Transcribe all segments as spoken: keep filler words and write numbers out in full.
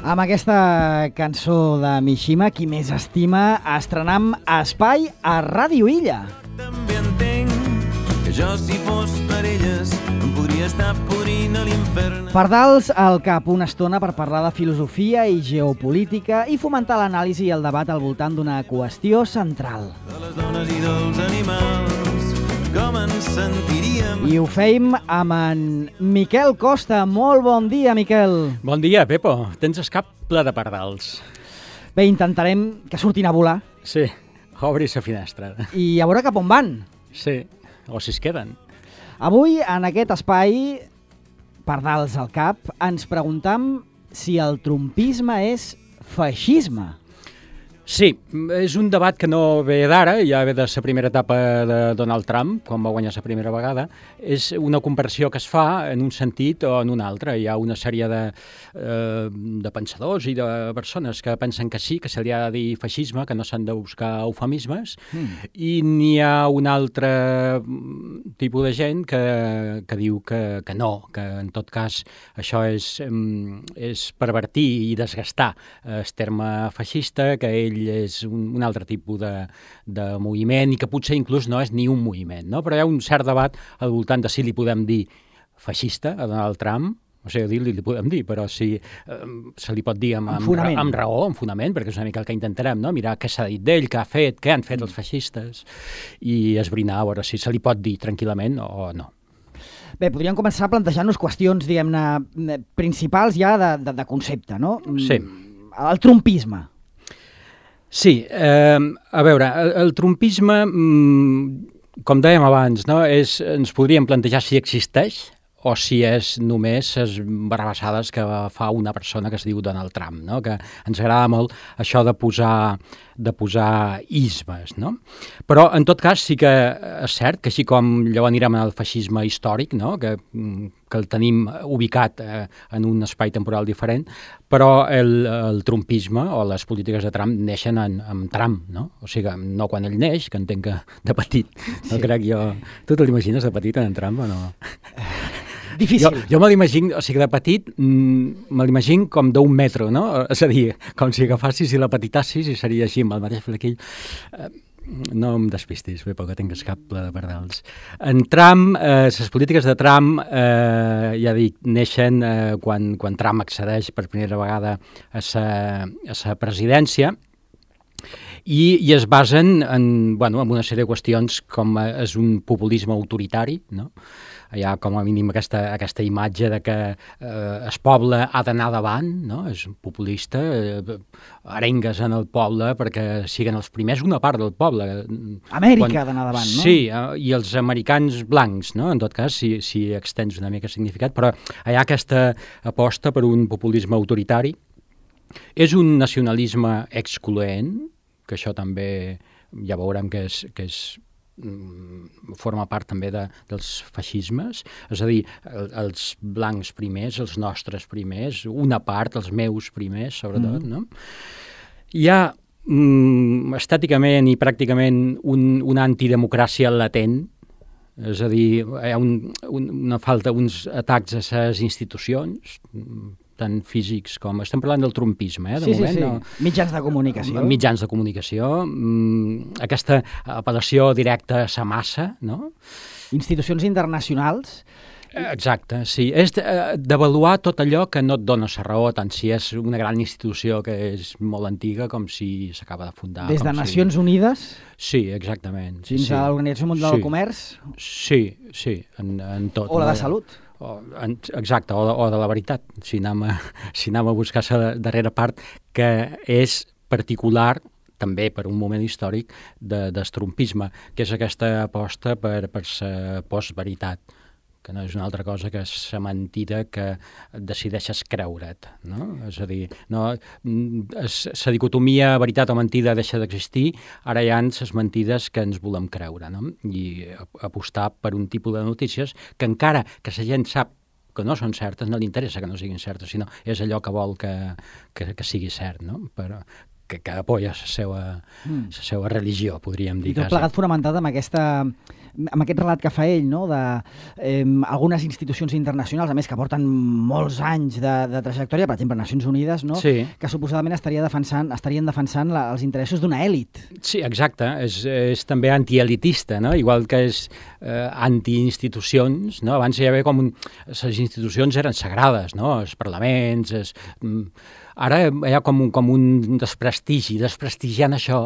Amb aquesta cançó de Mishima, Qui més estima, estrenam Espai a Ràdio Illa. També entenc que jo, si fos per elles, em podria estar podrint a l'infern. Pardals al cap una estona per parlar de filosofia i geopolítica i fomentar l'anàlisi i el debat al voltant d'una qüestió central. De les dones i dels animals, com ens sentiríem? I ho feim amb en Miquel Costa. Molt bon dia, Miquel. Bon dia, Pepo. Tens el cap ple de pardals. Bé, intentarem que surtin a volar. Sí, obris la finestra. I a veure cap on van. Sí, o si es queden. Avui, en aquest espai, Pardals al cap, ens preguntam si el trumpisme és feixisme. Sí, és un debat que no ve d'ara, ja ve de la primera etapa de Donald Trump, quan va guanyar la primera vegada. És una comparació que es fa en un sentit o en un altre. Hi ha una sèrie de, eh, de pensadors i de persones que pensen que sí, que se li ha de dir feixisme, que no s'han de buscar eufemismes, mm. i n'hi ha un altre tipus de gent que, que diu que, que no, que en tot cas això és, és pervertir i desgastar el terme feixista, que ell és un, un altre tipus de, de moviment i que potser inclús no és ni un moviment, no? Però hi ha un cert debat al voltant de si li podem dir feixista a Donald Trump, o sigui, dir-li li podem dir, però si eh, se li pot dir amb, amb, amb, amb raó, amb fonament, perquè és una mica el que intentarem, no? Mirar què s'ha dit d'ell, què ha fet, què han fet els feixistes i esbrinar a veure si se li pot dir tranquil·lament o no. Bé, podríem començar plantejant-nos qüestions, diguem-ne, principals ja de, de, de concepte, no? Sí. El trumpisme. Sí, eh, a veure, el, el trumpisme, mm, com dèiem abans, no, és, ens podríem plantejar si existeix o si és només les barabassades que fa una persona que es diu Donald Trump, no? Que ens agrada molt això de posar, de posar ismes, no? Però, en tot cas, sí que és cert que així com llavors anirem al feixisme històric, no? que, que el tenim ubicat eh, en un espai temporal diferent, però el, el trumpisme o les polítiques de Trump neixen en, en Trump, no? O sigui, no quan ell neix, que entenc que de petit, no sí. Crec jo... Tu te l'imagines de petit en Trump o no? Difícil. Jo, jo me l'imagino, o sigui, de petit, mm, me l'imagino com d'un metro, no? És a dir, com si agafassis i la petitassis i seria així, amb el mateix flequill. Eh, no em despistis, bé, perquè tinc el cap ple de pardals. En Trump, eh, les polítiques de Trump, eh, ja dic, neixen eh, quan, quan Trump accedeix per primera vegada a sa, a sa presidència, i, i es basen en, bueno, en una sèrie de qüestions com és un populisme autoritari, no? Hi ha com a mínim aquesta, aquesta imatge de que eh, el poble ha d'anar davant, no? És populista, eh, arengues en el poble perquè siguin els primers, una part del poble. Amèrica Quan, ha d'anar davant, no? Sí, eh, i els americans blancs, no? En tot cas, si, si extens una mica el significat, però hi ha aquesta aposta per un populisme autoritari. És un nacionalisme excloent, que això també ja veurem que és... Que és forma part també de, dels feixismes, és a dir, el, els blancs primers, els nostres primers, una part, els meus primers, sobretot, mm. no? Hi ha mm, estèticament i pràcticament un, una antidemocràcia latent, és a dir, hi ha un, un, una falta, uns atacs a les institucions, tant físics com... Estem parlant del trumpisme, eh, de sí, moment. Sí, sí, no? Mitjans de comunicació. Mitjans de comunicació, mmm, aquesta apel·lació directa a la massa, no? Institucions internacionals. Exacte, sí. És d'avaluar tot allò que no et dona la raó, tant si és una gran institució que és molt antiga com si s'acaba de fundar. Des de Nacions si... Unides? Sí, exactament. Sí, fins sí. a l'Organització Mundial sí. del Comerç? Sí, sí, en, en tot. O la no? de Salut? O, en, exacte, o de, o de la veritat, si anem a, si anem a buscar la darrera part, que és particular també per un moment històric de, del trumpisme, que és aquesta aposta per, per la postveritat, que no és una altra cosa que és la mentida que decideixes creure't, no? És a dir, no, la dicotomia veritat o mentida deixa d'existir, ara hi ha les mentides que ens volem creure, no? I apostar per un tipus de notícies que encara que la gent sap que no són certes, no li interessa que no siguin certes, sinó és allò que vol que, que, que sigui cert, no? Però que, que apoya la seva, mm. la seva religió, podríem dir. I tot plegat fonamentat amb aquesta amb aquest relat que fa ell, no? de eh, algunes institucions internacionals, a més que porten molts anys de, de trajectòria, per exemple, Nacions Unides, no? Sí. que suposadament estaria defensant, estarien defensant la, els interessos d'una èlit. Sí, exacte. És, és també antielitista, no? Igual que és eh, antiinstitucions, no? Abans hi havia com un... Les institucions eren sagrades, no? Els parlaments... És, ara hi ha com un, com un desprestigi. Desprestigiant això,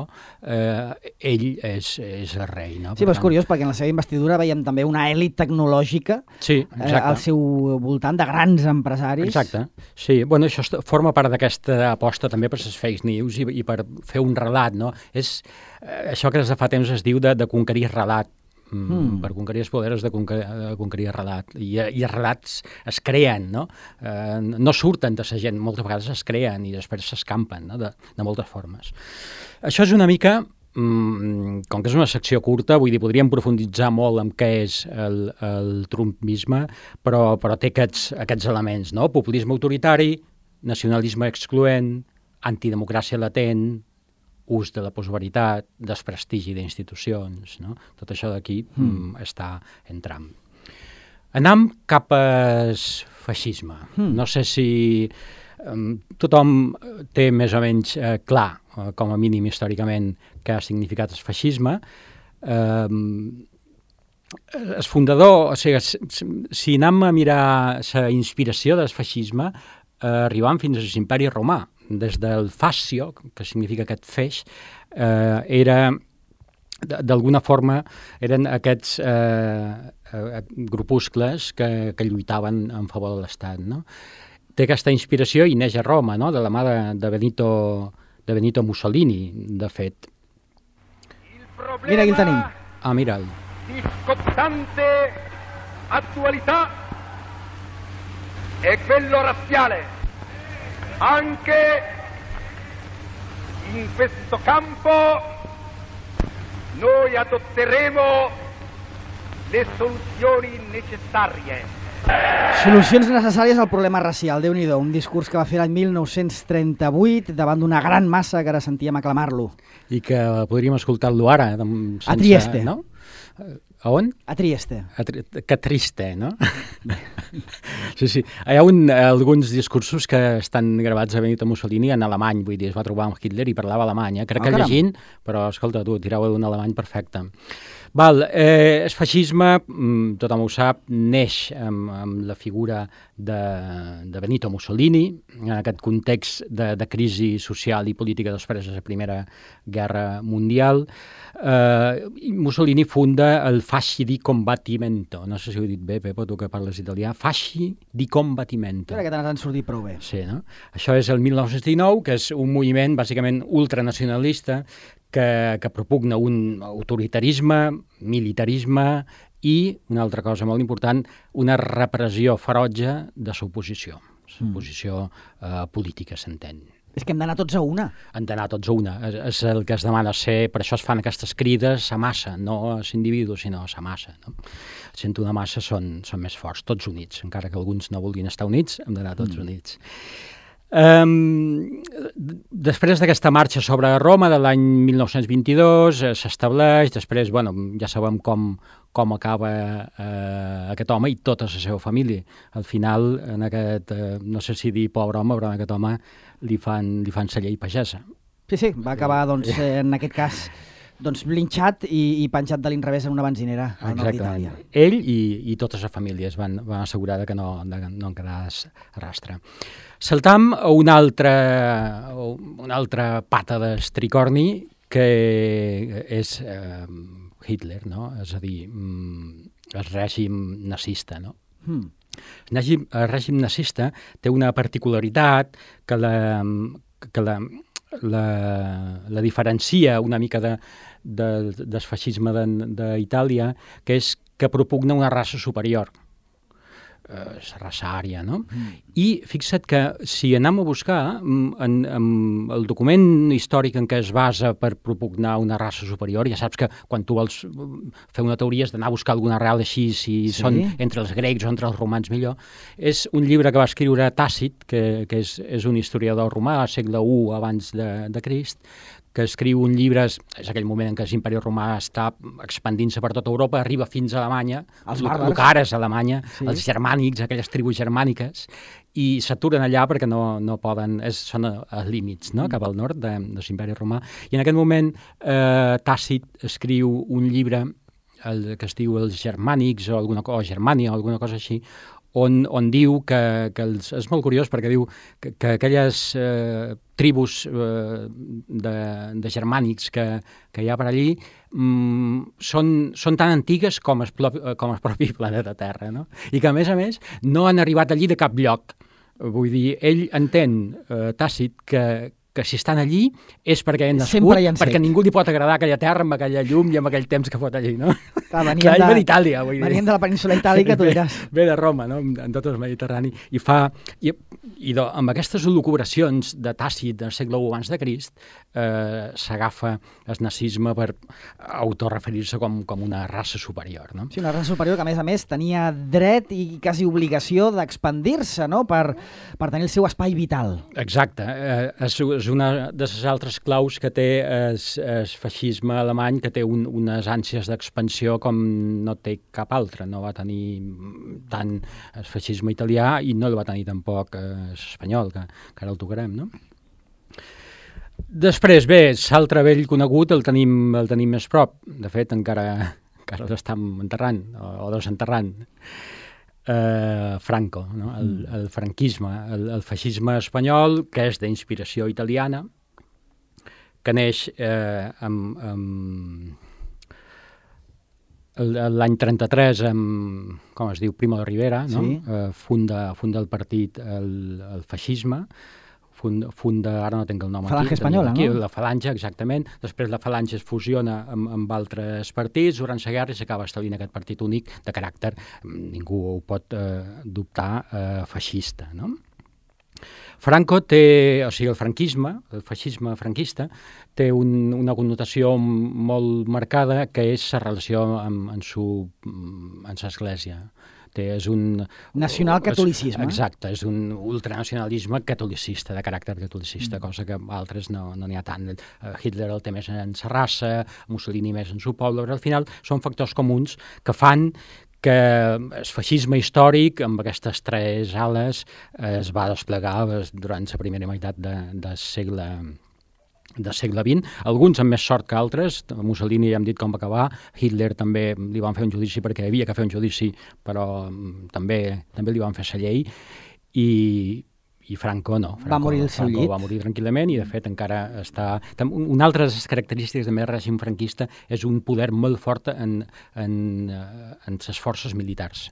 eh, ell és, és el rei, no? Sí, però és curiós, perquè en la seva investidura veiem també una èlit tecnològica sí, eh, al seu voltant de grans empresaris. Exacte. Sí, bueno, això forma part d'aquesta aposta també per les fake news i, i per fer un relat, no? És eh, això que des de fa temps es diu de, de conquerir relat. Mm. Per conquerir els poders de, conquerir, de conquerir el relat. I, I els relats es creen, no? Eh, no surten de la gent, moltes vegades es creen i després s'escampen, no? de, de moltes formes. Això és una mica, mm, com que és una secció curta, vull dir, podríem profunditzar molt en què és el, el trumpisme, però, però té aquests, aquests elements, no? Populisme autoritari, nacionalisme excloent, antidemocràcia latent, ús de la postveritat, desprestigi d'institucions, no? Tot això d'aquí mm. mm, està entrant. Anam cap al feixisme. Mm. No sé si um, tothom té més o menys eh, clar, eh, com a mínim històricament, què ha significat el feixisme. Um, el fundador, o sigui, si anem a mirar la inspiració del feixisme, eh, arribant fins a l'imperi romà, des del fascio, que significa aquest feix, eh, era, d'alguna forma, eren aquests eh, eh, grupuscles que, que lluitaven en favor de l'Estat, no? Té aquesta inspiració i neix a Roma, no? De la mà de, de, Benito, de Benito Mussolini, de fet. Mira, aquí el tenim. Ah, mira'l. Discottante attualità è quello razziale. Anche in questo campo noi adotteremo le soluzioni necessarie. Solucions necessàries al problema racial. Déu-n'hi-do, un discurs que va fer l'any mil nou-cents trenta-vuit davant d'una gran massa que ara sentíem aclamar-lo. I que podríem escoltar-lo ara. Sense, a Trieste. No? A on? A Trieste. A tri que triste, no? Sí, sí. Hi ha un, alguns discursos que estan gravats a Benito Mussolini en alemany, vull dir, es va trobar amb Hitler i parlava alemany. Eh? Crec oh, que caram. llegint, però escolta, tu, tirava d'un alemany perfecte. Val, eh, el feixisme, tothom ho sap, neix amb, amb la figura de, de Benito Mussolini, en aquest context de, de crisi social i política després de la Primera Guerra Mundial. Eh, Mussolini funda el Fasci di Combattimento, no sé si ho he dit bé, Pepo, tu que parles italià, Fasci di Combattimento. Crec que t'han sortit prou bé. Sí, no? Això és el mil nou-cents dinou, que és un moviment bàsicament ultranacionalista que, que propugna un autoritarisme, militarisme i, una altra cosa molt important, una repressió ferotge de l'oposició, l'oposició eh, política, s'entén. És que hem d'anar tots a una. Hem d'anar tots a una. És, és el que es demana ser, per això es fan aquestes crides a massa, no a l'individu, sinó a massa. No? Sent una massa són, són més forts, tots units. Encara que alguns no vulguin estar units, hem d'anar tots mm. units. Um, després d'aquesta marxa sobre Roma de l'any mil nou-cents vint-i-dos eh, s'estableix, després, bueno, ja sabem com, com acaba eh, aquest home i tota la seva família. Al final, en aquest, eh, no sé si dir pobre home, però en aquest home li fan, li fan la llei pagesa. Sí, sí, va acabar, doncs, en aquest cas, doncs, linxat i, i penjat de l'inrevés en una benzinera al nord d'Itàlia. Ell i, i tota la família es van, van assegurar que no, de, no en quedàs rastre. Saltam a una altra, una altra pata d'estricorni que és eh, Hitler, no? És a dir, el règim nazista, no? Hmm. El règim, el règim nazista té una particularitat que la, que la, la, la diferencia una mica de, de, del feixisme d'Itàlia, que és que propugna una raça superior. La raça ària, no? Mm. I fixa't que si anem a buscar en, en el document històric en què es basa per propugnar una raça superior, ja saps que quan tu vols fer una teoria has d'anar a buscar alguna arrel així, si sí? són entre els grecs o entre els romans millor, és un llibre que va escriure Tàcit, que, que és, és un historiador romà, al segle u abans de, de Crist, que escriu un llibre, és, és aquell moment en què l'imperi romà està expandint-se per tota Europa, arriba fins a Alemanya, Els el bàrbars. que ara és Alemanya, Sí. els germànics, aquelles tribus germàniques, i s'aturen allà perquè no, no poden, és, són als límits, no?, cap al nord de, de l'imperi romà. I en aquest moment eh, Tàcit escriu un llibre el, que es diu Els germànics o, alguna, o Germània o alguna cosa així, on, on diu que, que els, és molt curiós perquè diu que, que aquelles eh, tribus eh, de, de germànics que, que hi ha per allí mm, són, són tan antigues com el, com el propi planeta Terra, no? I que, a més a més, no han arribat allí de cap lloc. Vull dir, ell entén, eh, Tàcit, que, que si estan allí és perquè han nascut, Sempre hi han perquè set. ningú li pot agradar aquella terra amb aquella llum i amb aquell temps que fot allí, no? Clar, venien Clar, ell de- ve d'Itàlia, vull dir. venien de la península itàlica, tu Ve- diràs. Ve de Roma, no?, en tot el Mediterrani, i fa... I, i do, amb aquestes lucubracions de Tàcit del segle u abans de Crist eh, s'agafa el nazisme per autorreferir-se com, com una raça superior, no? Sí, una raça superior que, a més a més, tenia dret i quasi obligació d'expandir-se, no?, per, per tenir el seu espai vital. Exacte, eh, és, és una de les altres claus que té el feixisme alemany, que té un, unes ànsies d'expansió com no té cap altre. No va tenir tant el feixisme italià i no el va tenir tampoc l'espanyol, que, que ara el tocarem, no? Després, bé, l'altre vell conegut el tenim, el tenim més prop. De fet, encara, encara l'estem enterrant, o, o desenterrant. Uh, Franco, no? el, el franquisme, el, el feixisme espanyol, que és d'inspiració italiana, que neix eh, amb, amb el- l'any trenta-tres amb, com es diu, Primo de Rivera, no? Sí. Eh, funda, funda el partit el, el feixisme, funda, funda, ara no tinc el nom Falange aquí, Espanyola, aquí, no? la Falange, exactament. Després la Falange es fusiona amb, amb altres partits durant la guerra i s'acaba establint aquest partit únic de caràcter, ningú ho pot eh, dubtar, eh, feixista, no? Franco té, o sigui, el franquisme, el feixisme franquista, té un, una connotació molt marcada que és la relació amb, amb, su, amb l'església. Té, és un... Nacionalcatolicisme. És, exacte, és un ultranacionalisme catolicista, de caràcter catolicista, mm. cosa que altres no n'hi no ha tant. Uh, Hitler el té més en sa raça, Mussolini més en su poble, però al final són factors comuns que fan que el feixisme històric, amb aquestes tres ales, eh, es va desplegar eh, durant la primera meitat de, del segle del segle vint, alguns amb més sort que altres. Mussolini ja hem dit com va acabar, Hitler també li van fer un judici perquè havia que fer un judici, però mm, també també li van fer la llei, i, i Franco no. Franco, Va morir al seu Franco llit. va morir tranquil·lament i de fet encara està... Tam- Una altra de les característiques del règim franquista és un poder molt fort en, en, eh, en les forces militars.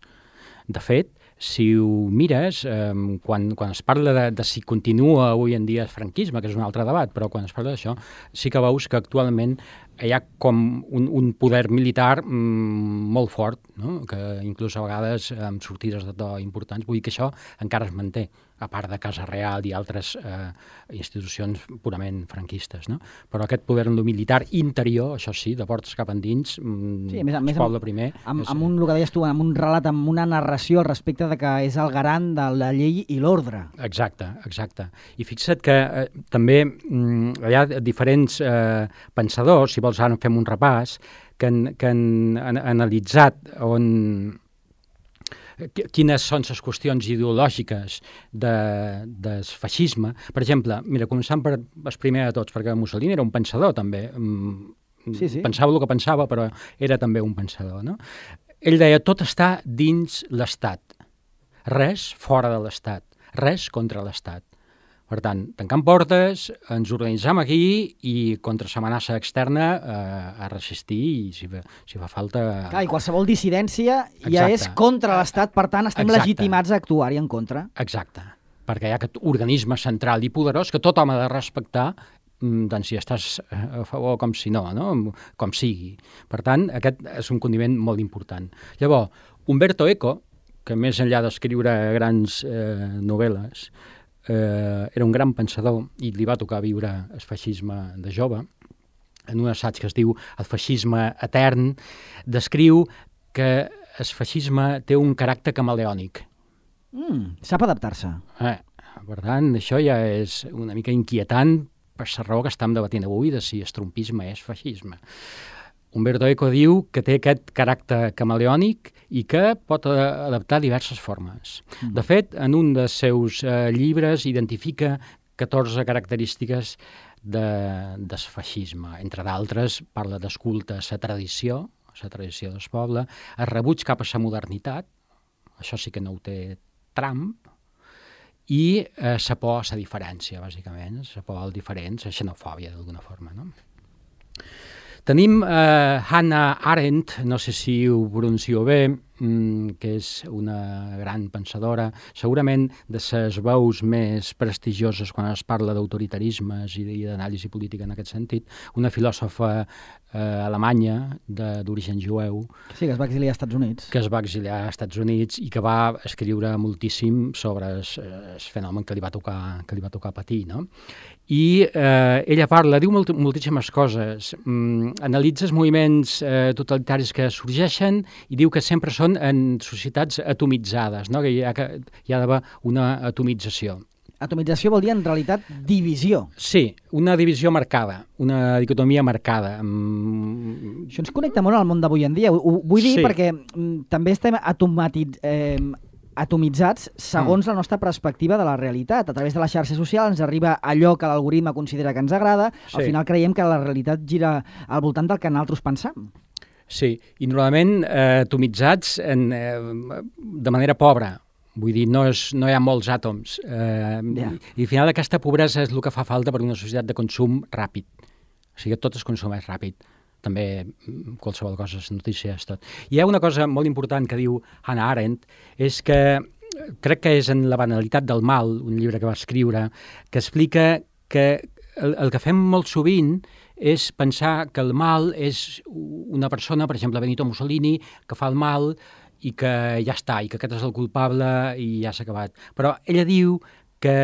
De fet, si ho mires, eh, quan, quan es parla de, de si continua avui en dia el franquisme, que és un altre debat, però quan es parla d'això, sí que veus que actualment hi ha com un, un poder militar mm, molt fort, no? Que inclús a vegades amb sortides de to importants, vull dir que això encara es manté, a part de Casa Real i altres eh, institucions purament franquistes, no? Però aquest poder en lo militar interior, això sí, de portes cap endins, mm, Sí, a més, a més, el poble primer... Amb, és- amb un, el que deies tu, amb un relat, amb una narració al respecte de que és el garant de la llei i l'ordre. Exacte, exacte. I fixa't que eh, també mm, hi ha diferents eh, pensadors, si vols ara en fem un repàs, que han, que han, han analitzat on qui- quines són les qüestions ideològiques de, del feixisme. Per exemple, mira, començant per el primer de tots, perquè Mussolini era un pensador també, mm, Sí, sí. pensava el que pensava, però era també un pensador, no? Ell deia, tot està dins l'Estat, res fora de l'Estat, res contra l'Estat. Per tant, tancant portes, ens organitzam aquí i contra l'amenaça externa eh, a resistir i si fa, si fa falta... Clar, i qualsevol dissidència ja Exacte. és contra l'Estat, per tant estem Exacte. legitimats a actuar-hi en contra. Exacte, perquè hi ha aquest organisme central i poderós que tothom ha de respectar, mm, tant si estàs a favor com si no, no? Com sigui. Per tant, aquest és un condiment molt important. Llavors, Umberto Eco, que més enllà d'escriure grans eh, novel·les, eh, era un gran pensador i li va tocar viure el feixisme de jove, en un assaig que es diu El feixisme etern, descriu que el feixisme té un caràcter camaleònic. Mm, sap adaptar-se. Eh, per tant, això ja és una mica inquietant per la raó que estem debatint avui de si el trumpisme és feixisme. Umberto Eco diu que té aquest caràcter camaleònic i que pot adaptar diverses formes. Mm. De fet, en un dels seus eh, llibres identifica catorze característiques de, del feixisme. Entre d'altres, parla del culte a la tradició, la tradició del poble, el rebuig cap a la modernitat, això sí que no ho té Trump, i eh, la por a la diferència, bàsicament, la por al diferent, la xenofòbia, d'alguna forma, no? Tenim eh, Hannah Arendt, no sé si ho pronuncio bé, mm, que és una gran pensadora, segurament de les veus més prestigioses quan es parla d'autoritarismes i d'anàlisi política en aquest sentit, una filòsofa eh, alemanya d'origen jueu. Sí, que es va exiliar als Estats Units. Que es va exiliar als Estats Units i que va escriure moltíssim sobre el fenomen que li va tocar, que li va tocar patir, no? I eh, ella parla, diu molt, moltíssimes coses, mm, analitza els moviments eh, totalitaris que sorgeixen i diu que sempre són en societats atomitzades, no? Que hi ha, que hi ha d'haver una atomització. Atomització vol dir, en realitat, divisió. Sí, una divisió marcada, una dicotomia marcada. Mm. Això ens connecta molt al món d'avui en dia. Ho, ho vull dir Sí. perquè mm, també estem automatiz... eh, atomitzats segons mm. la nostra perspectiva de la realitat. A través de la xarxa social ens arriba allò que l'algoritme considera que ens agrada. Sí. Al final creiem que la realitat gira al voltant del que nosaltres pensam. Sí, i normalment eh, atomitzats en, eh, de manera pobra. Vull dir, no, és, no hi ha molts àtoms. Eh, Yeah. i, I al final aquesta pobresa és el que fa falta per una societat de consum ràpid. O sigui, tot es consumeix ràpid. També qualsevol cosa, les notícies, tot. Hi ha una cosa molt important que diu Hannah Arendt, és que crec que és en La banalitat del mal, un llibre que va escriure, que explica que el, el que fem molt sovint és pensar que el mal és una persona, per exemple, Benito Mussolini, que fa el mal i que ja està, i que aquest és el culpable i ja s'ha acabat. Però ella diu que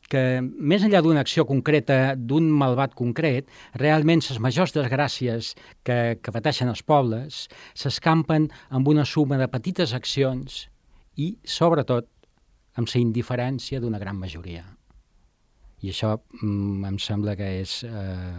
que més enllà d'una acció concreta, d'un malvat concret, realment les majors desgràcies que, que pateixen els pobles s'escampen amb una suma de petites accions i, sobretot, amb la indiferència d'una gran majoria. I això mm, em sembla que és eh,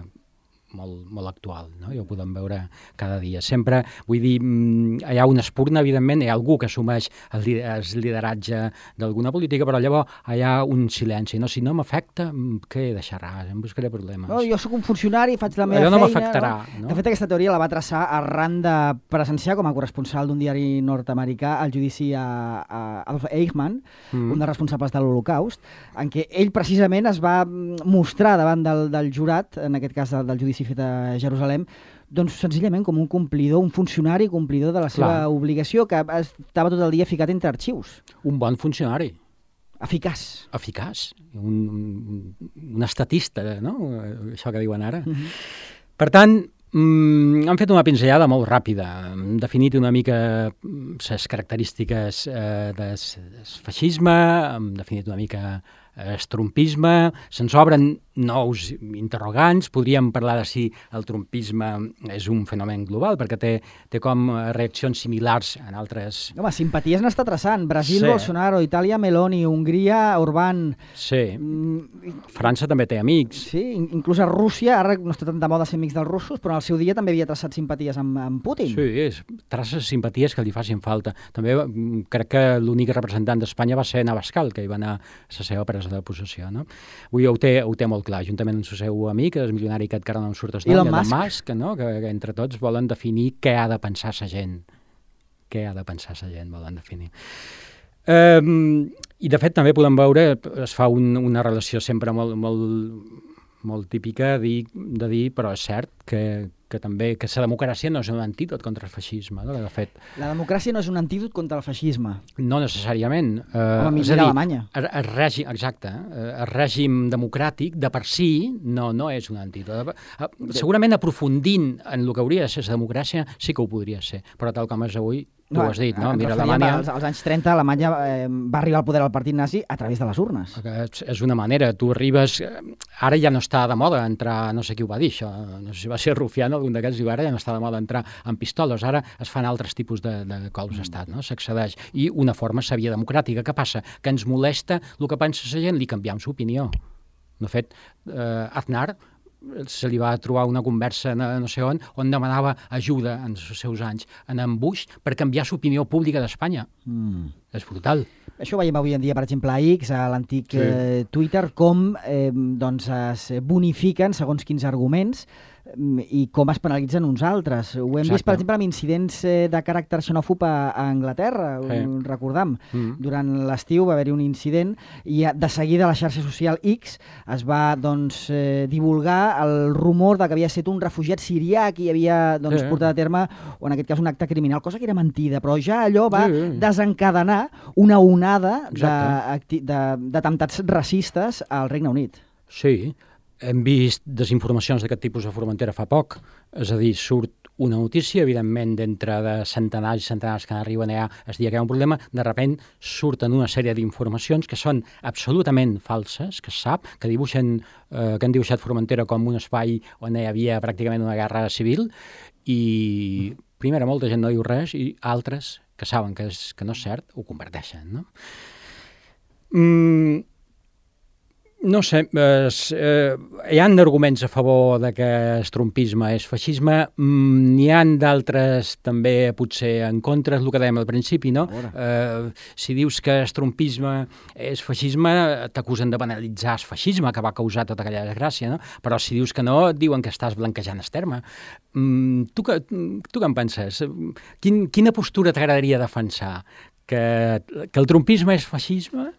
molt, molt actual, no? I ho podem veure cada dia. Sempre, vull dir, hi ha una espurna, evidentment, hi ha algú que assumeix el, el lideratge d'alguna política, però llavors hi ha un silenci, no? Si no m'afecta, què deixaràs? Em buscaré problemes. No, jo sóc un funcionari, faig la meva Allò no feina... m'afectarà, no? no? De fet, aquesta teoria la va traçar arran de presenciar com a corresponsal d'un diari nord-americà el judici a, a Adolf Eichmann, mm. un dels responsables de l'Holocaust, en què ell precisament es va mostrar davant del, del jurat, en aquest cas del, del judici fet a Jerusalem, doncs senzillament com un complidor, un funcionari complidor de la seva Clar. obligació, que estava tot el dia ficat entre arxius. Un bon funcionari. Eficaç. Eficaç. Un, un, un estatista, no? Això que diuen ara. Mm-hmm. Per tant, mm, han fet una pinzellada molt ràpida. Han definit una mica les característiques eh, del feixisme, han definit una mica el trumpisme, se'ns obren nous interrogants, podríem parlar de si el trumpisme és un fenomen global, perquè té, té com reaccions similars en altres... Home, simpaties n'està traçant. Brasil, Sí. Bolsonaro, Itàlia, Meloni, Hongria, Orbán... Sí, Mm, França també té amics. sí, in- inclús a Rússia, ara no està tan de moda ser amics dels russos, però al seu dia també havia traçat simpaties amb, amb Putin. Sí, és, traces simpaties que li facin falta. També mm, crec que l'únic representant d'Espanya va ser Navascal, que hi va anar a la seva presa de possessió, no? Avui ho té, ho té molt clar, juntament amb el seu amic, el milionari que encara no em surt el nom, Elon Elon Musk. Musk, no? que, que entre tots volen definir què ha de pensar la gent. Què ha de pensar la gent, volen definir. Um, I, de fet, també podem veure, es fa un, una relació sempre molt, molt, molt típica de dir, de dir, però és cert, que, que també que la democràcia no és un antídot contra el feixisme. No? De fet, La democràcia no és un antídot contra el feixisme. no necessàriament. Eh, Home, és a mira dir, Alemanya. El, el règim, exacte, eh, el règim democràtic de per si no, no és un antídot. Eh, Segurament aprofundint en el que hauria de ser la democràcia sí que ho podria ser, però tal com és avui, tu ho has dit, no? ens Mira, referíem Alemanya... Als, als anys trenta, Alemanya eh, va arribar al poder del partit nazi a través de les urnes. És, és una manera, tu arribes... Ara ja no està de moda entrar, no sé qui ho va dir, això, no sé si va ser Rufián o algun d'aquests, diu, ara ja no està de moda entrar amb pistoles, ara es fan altres tipus de, de colps d'estat, no? S'accedeix. I una forma sa via democràtica. Què passa? Que ens molesta el que pensa la gent, li canviem l'opinió. De fet, eh, Aznar se li va trobar una conversa no, no sé on, on demanava ajuda en els seus anys en en Bush per canviar l'opinió pública d'Espanya. Mm. És brutal. Això ho veiem avui en dia, per exemple, a X, a l'antic sí. eh, Twitter, com eh, doncs es bonifiquen segons quins arguments i com es penalitzen uns altres. Ho hem Exacte. vist, per exemple, amb incidents eh, de caràcter xenòfob a, a Anglaterra, sí. recordam. Mm. Durant l'estiu va haver-hi un incident i de seguida a la xarxa social X es va doncs, eh, divulgar el rumor de que havia estat un refugiat sirià que havia doncs, sí. portat a terme, o en aquest cas un acte criminal, cosa que era mentida, però ja allò va sí. desencadenar una onada d'atemptats racistes al Regne Unit. Sí, hem vist desinformacions d'aquest tipus a Formentera fa poc, és a dir, surt una notícia, evidentment, d'entre de centenars i centenars que arriben allà es dia que hi ha un problema, de sobte surten una sèrie d'informacions que són absolutament falses, que es sap, que dibuixen, eh, que han dibuixat Formentera com un espai on hi havia pràcticament una guerra civil, i primera molta gent no diu res, i altres que saben que, és, que no és cert, ho converteixen, no? Mm, no sé, es, eh, hi ha arguments a favor de que el trumpisme és feixisme, mm, n'hi ha d'altres també potser en contra, és el que dèiem al principi, no? Eh, si dius que el trumpisme és feixisme, t'acusen de banalitzar el feixisme que va causar tota aquella desgràcia, no? Però si dius que no, et diuen que estàs blanquejant el terme. Mm, tu, que, tu què en penses? Quin, quina postura t'agradaria defensar? Que, que el trumpisme és feixisme?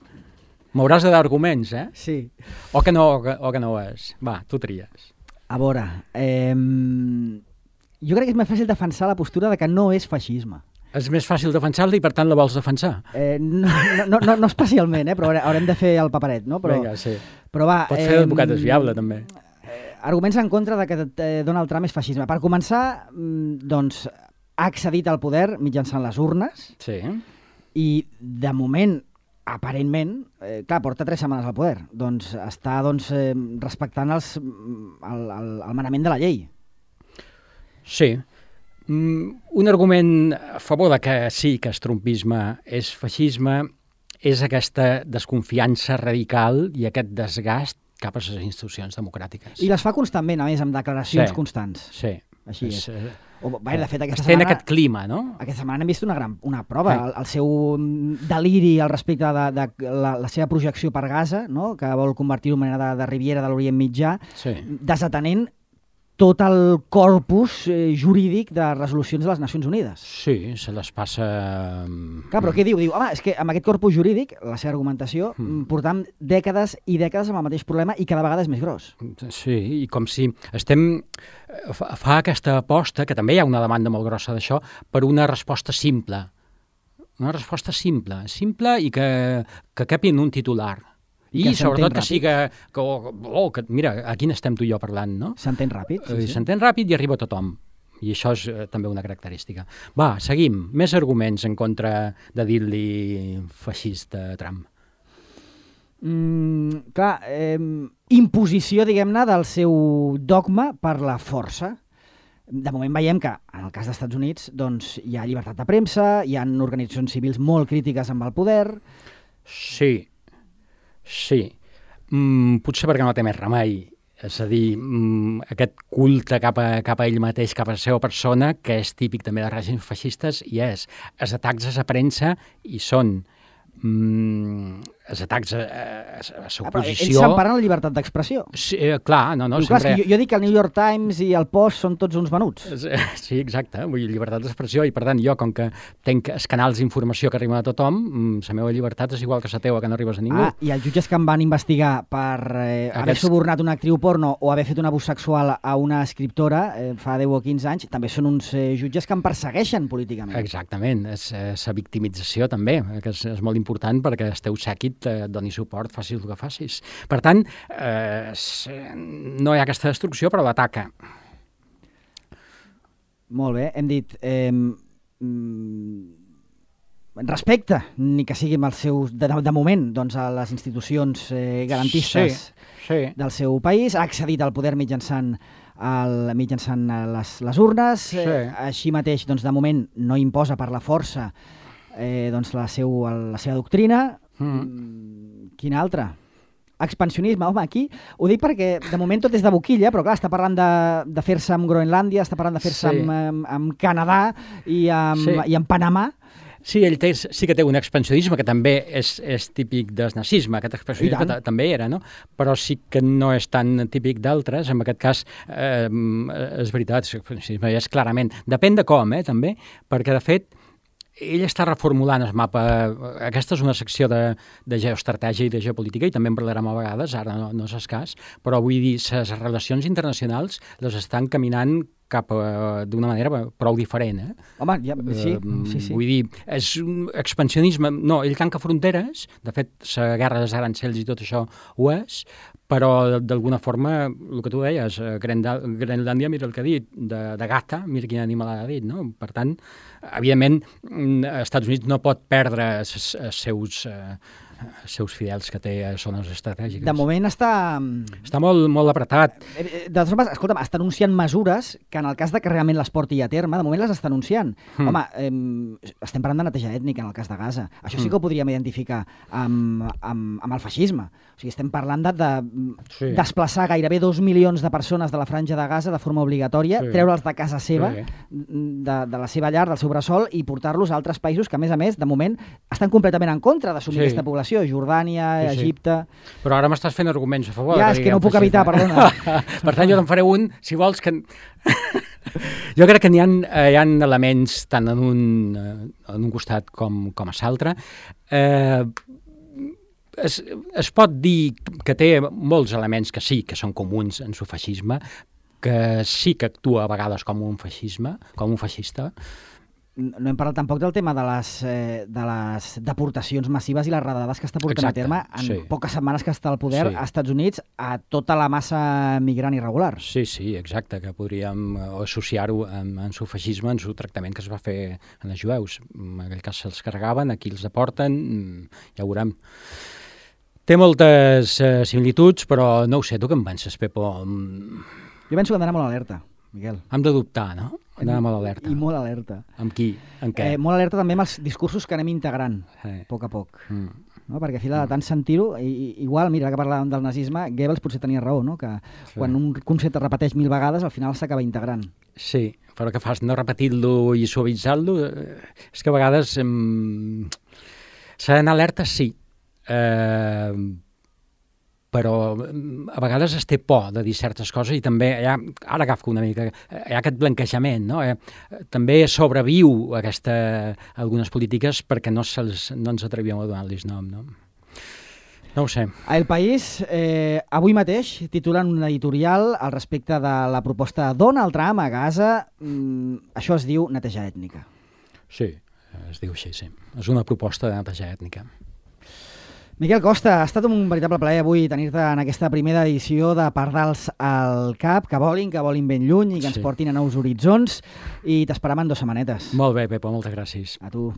M'hauràs de dar arguments, eh? Sí. O que no, o que, o que no és. Va, tu tries. A veure, eh, jo crec que és més fàcil defensar la postura de que no és feixisme. És més fàcil defensar-la i, per tant, la vols defensar? Eh, no, no, no, no especialment, eh? Però haurem de fer el paperet, no? Però, Vinga, sí. Però va, pots fer d'advocat desviable, també. Eh, arguments en contra de que eh, Donald Trump és feixisme. Per començar, doncs, ha accedit al poder mitjançant les urnes. Sí. I, de moment, aparentment, eh, clar, porta tres setmanes al poder, doncs està doncs, eh, respectant els, el, el, el manament de la llei. Sí. Mm, un argument a favor de que sí que el trumpisme és feixisme és aquesta desconfiança radical i aquest desgast cap a les institucions democràtiques. I les fa constantment, a més, amb declaracions sí. constants. Sí. Així és. és. O, bé, de fet, aquesta Estem setmana, en aquest clima, no? Aquesta setmana hem vist una, gran, una prova, el, el seu deliri al respecte de, de la, la seva projecció per Gaza, no? Que vol convertir-ho en mena de, de Riviera de l'Orient Mitjà, sí. desatenent tot el corpus eh, jurídic de resolucions de les Nacions Unides. Sí, se les passa... Clar, però què diu? Diu, home, és que amb aquest corpus jurídic, la seva argumentació, mm. portam dècades i dècades amb el mateix problema i cada vegada és més gros. Sí, i com si estem... Fa aquesta aposta, que també hi ha una demanda molt grossa d'això, per una resposta simple. Una resposta simple, simple i que, que capi en un titular. I, I sobretot que siga... Que, oh, que, mira, aquí n'estem tu i jo parlant, no? S'entén ràpid. Sí, sí. S'entén ràpid i arriba a tothom. I això és eh, també una característica. Va, seguim. Més arguments en contra de dir-li feixista a Trump. Mm, clar, eh, imposició, diguem-ne, del seu dogma per la força. De moment veiem que, en el cas dels Estats Units, doncs, hi ha llibertat de premsa, hi ha organitzacions civils molt crítiques amb el poder... Sí, sí. Mm, potser perquè no té més remei. És a dir, mm, aquest culte cap a, cap a ell mateix, cap a la seva persona, que és típic també de règims feixistes, i és els atacs a la premsa i són... Mm, els atacs a, a, a la seva posició... Ells s'emparen la llibertat d'expressió. Sí, eh, clar, no, no. Diu, clar, sempre... jo, jo dic que el New York Times i el Post són tots uns venuts. Sí, exacte, vull dir, llibertat d'expressió, i per tant jo, com que tenc els canals d'informació que arriben a tothom, la meva llibertat és igual que la teua, que no arribes a ningú. Ah, i els jutges que em van investigar per eh, Aquests... haver subornat una actriu porno o haver fet un abús sexual a una escriptora eh, fa deu o quinze anys, també són uns eh, jutges que em persegueixen políticament. Exactament, és la victimització també, que és, és molt important perquè el teu sèquit et doni suport, facis el que facis. Per tant, eh, no hi ha aquesta destrucció, però l'ataca. Molt bé, hem dit eh, respecte, ni que sigui amb els seus, de, de moment, doncs, a les institucions eh, garantistes sí, sí. del seu país, ha accedit al poder mitjançant el, mitjançant les, les urnes, sí. eh, així mateix, doncs, de moment, no imposa per la força eh, doncs, la, seu, la seva doctrina. Mm. Quina altra? Expansionisme, home, aquí ho dic perquè de moment tot és de boquilla, però clar, està parlant de, de fer-se amb Groenlàndia, està parlant de fer-se Sí. amb, amb, amb Canadà i amb, Sí. i amb Panamà. Sí, ell té, sí que té un expansionisme que també és, és típic del nazisme, aquest expansionisme I tant. ta- també era, no? Però sí que no és tan típic d'altres, en aquest cas eh, és veritat, l'expansionisme és clarament, depèn de com, eh, també, perquè de fet ell està reformulant el mapa. Aquesta és una secció de, de geoestratègia i de geopolítica, i també en parlarem a vegades, ara no, no és escàs, però vull dir, les relacions internacionals les estan caminant cap a, d'una manera prou diferent, eh? Home, ja, sí, Eh, sí, sí. Vull dir, és un expansionisme... No, ell tanca fronteres, de fet, la guerra dels arancells i tot això ho és, però d'alguna forma, el que tu deies, eh, Grenda- Grenlàndia, mira el que ha dit, de, de gata, mira quin animal ha dit, no? Per tant, evidentment, mm, els Estats Units no pot perdre els seus, eh, els seus fidels que té a zones estratègiques. De moment està... Està molt, molt apretat. Eh, eh, De totes formes, escolta'm, està anunciant mesures que en el cas de que realment les porti a terme, de moment les està anunciant. Mm. Home, eh, estem parlant de neteja ètnica en el cas de Gaza. Això sí que ho podríem identificar amb, amb, amb el feixisme. O sigui, estem parlant de, de Sí. desplaçar gairebé dos milions de persones de la franja de Gaza de forma obligatòria, Sí. treure'ls de casa seva, Sí. de, de la seva llar, del seu bressol, i portar-los a altres països que, a més a més, de moment, estan completament en contra d'assumir Sí. aquesta població. Jordània, Sí, sí. Egipte... Però ara m'estàs fent arguments a favor. Ja, de és que no ho diguem, puc evitar, feixisme. perdona. Per tant, jo te'n faré un, si vols, que... Jo crec que n'hi ha, eh, hi ha elements tant en un, eh, en un costat com, com a l'altre. Eh, es, es pot dir que té molts elements que sí, que són comuns en el feixisme, que sí que actua a vegades com un feixisme, com un feixista. No hem parlat tampoc del tema de les, eh, de les deportacions massives i les redades que està portant Exacte, a terme en sí. poques setmanes que està al poder Sí. als Estats Units a tota la massa migrant irregular. Sí, sí, exacte, que podríem eh, associar-ho amb, amb el feixisme, amb el tractament que es va fer en els jueus. En aquell cas se'ls carregaven, aquí els deporten, mm, ja ho veurem. Té moltes eh, similituds, però no ho sé, tu què en penses, Pepo? Mm, Jo penso que hem d'anar molt alerta, Miquel. Hem de dubtar, no? Hem d'anar molt alerta. I molt alerta. Amb qui? En què? Eh, molt alerta també amb els discursos que anem integrant, Sí. a poc a poc. Mm. No? Perquè a fila de tant sentir-ho, i, i- igual, mira, que parlàvem del nazisme, Goebbels potser tenia raó, no? Que Sí. quan un concepte es repeteix mil vegades, al final s'acaba integrant. Sí, però què fas? No repetir-lo i suavitzar-lo? Eh, És que a vegades... Mm, s'ha d'anar alerta, sí. Eh, però mm, a vegades es té por de dir certes coses i també hi ha, ara agafo una mica, hi ha aquest blanquejament, no? Eh, també sobreviu aquesta, algunes polítiques perquè no, se'ls, no ens atrevíem a donar-los nom, no? No ho sé. A El País, eh, avui mateix, titulen un editorial al respecte de la proposta de Donald Trump a Gaza. Mm, això es diu neteja ètnica. Sí, es diu així, sí. És una proposta de neteja ètnica. Miquel Costa, ha estat un veritable plaer avui tenir-te en aquesta primera edició de Pardals al Cap, que volin, que volin ben lluny i que ens Sí. portin a nous horitzons, i t'esperem en dues setmanetes. Molt bé, Pepo, moltes gràcies. A tu.